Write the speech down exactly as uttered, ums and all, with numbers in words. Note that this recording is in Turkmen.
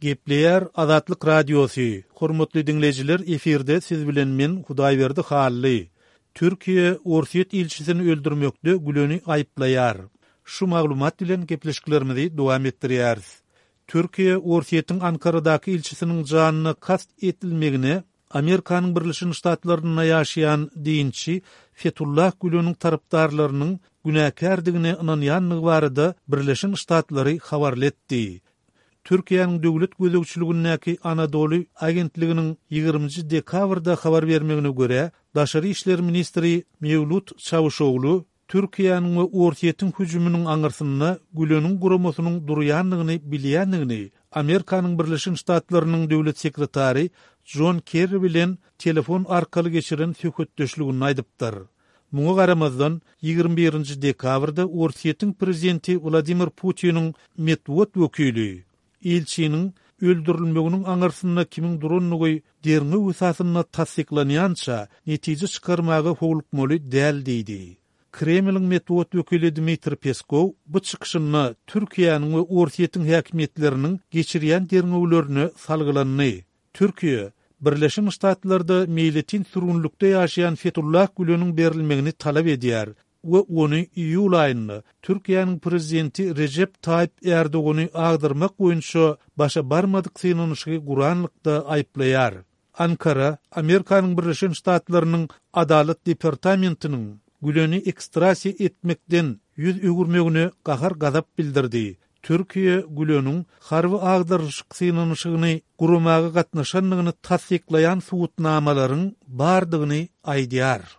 Gepleýär Azatlyk Radiosy, Hormatly diňleýjiler efirde siz bilen men Hudaýberdi Hally. Türkiýe Orsýet ilçisini öldürmekde Güleni aýyplaýar. Şu maglumat bilen gepleşiklerimizi dowam etdirýäris. Türkiýe Orsýetiň Ankaradaky ilçisiniň janyna kast edilmegine Amerikanyň Birleşen Ştatlarynda ýaşaýan dinçi Fetullah Güleniň tarapdarlarynyň günäkärdigine ynanýandygy barada Birleşen Ştatlary habarly etdi. Türkiýäniň döwlet gözegçiligindäki Anadolu agentliginiň ýigriminji dekabrda habar bermegine görä, Daşary işler ministri Mewlut Çawuşoglu Türkiýäniň we Orsýetiň hüjüminiň aňyrsynda Güleniň guramasynyň durýandygyny bilýändigini Amerikanyň Birleşen Ştatlarynyň döwlet sekretary Jon Kerri bilen telefon arkaly geçiren söhbetdeşliginde aýdypdyr. Muňa garamazdan, ýigrimi birinji dekabrda Orsýetiň prezidenti Wladimir Putiniň metbugat wekili ilçiniň öldürilmeginiň aňyrsynda kimiň durandygy derňew esasynda tassyklanýança netije çykarmaga howlukmaly däl diýdi. Kremliň metbugat wekili Dmitriý Peskow bu çykyşynda Türkiýäniň we Orsýetiň häkimiýetleriniň geçirýän derňewlerine salgylandy. Türkiýe Birleşen Ştatlarda meýletin sürgünlikde ýaşaýan Fetullah Güleniň berilmegini talap edýär we ony iýul aýynda Türkiýäniň prezidenti Rejep Taýyp Erdogany agdyrmak boýunça başa barmadyk synanyşygy guranlykda aýyplaýar. Ankara Amerikanyň Birleşen Ştatlarynyň Adalat departamentiniň Güleni ekstrasiýa etmekden ýüz öwürmegine gahar-gazap bildirdi. Türkiýe Güleniň harby agdarylyşyk synanyşygyny guramaga gatnaşandygyny tassyklaýan subutnamalaryň bardygyny aýdýar.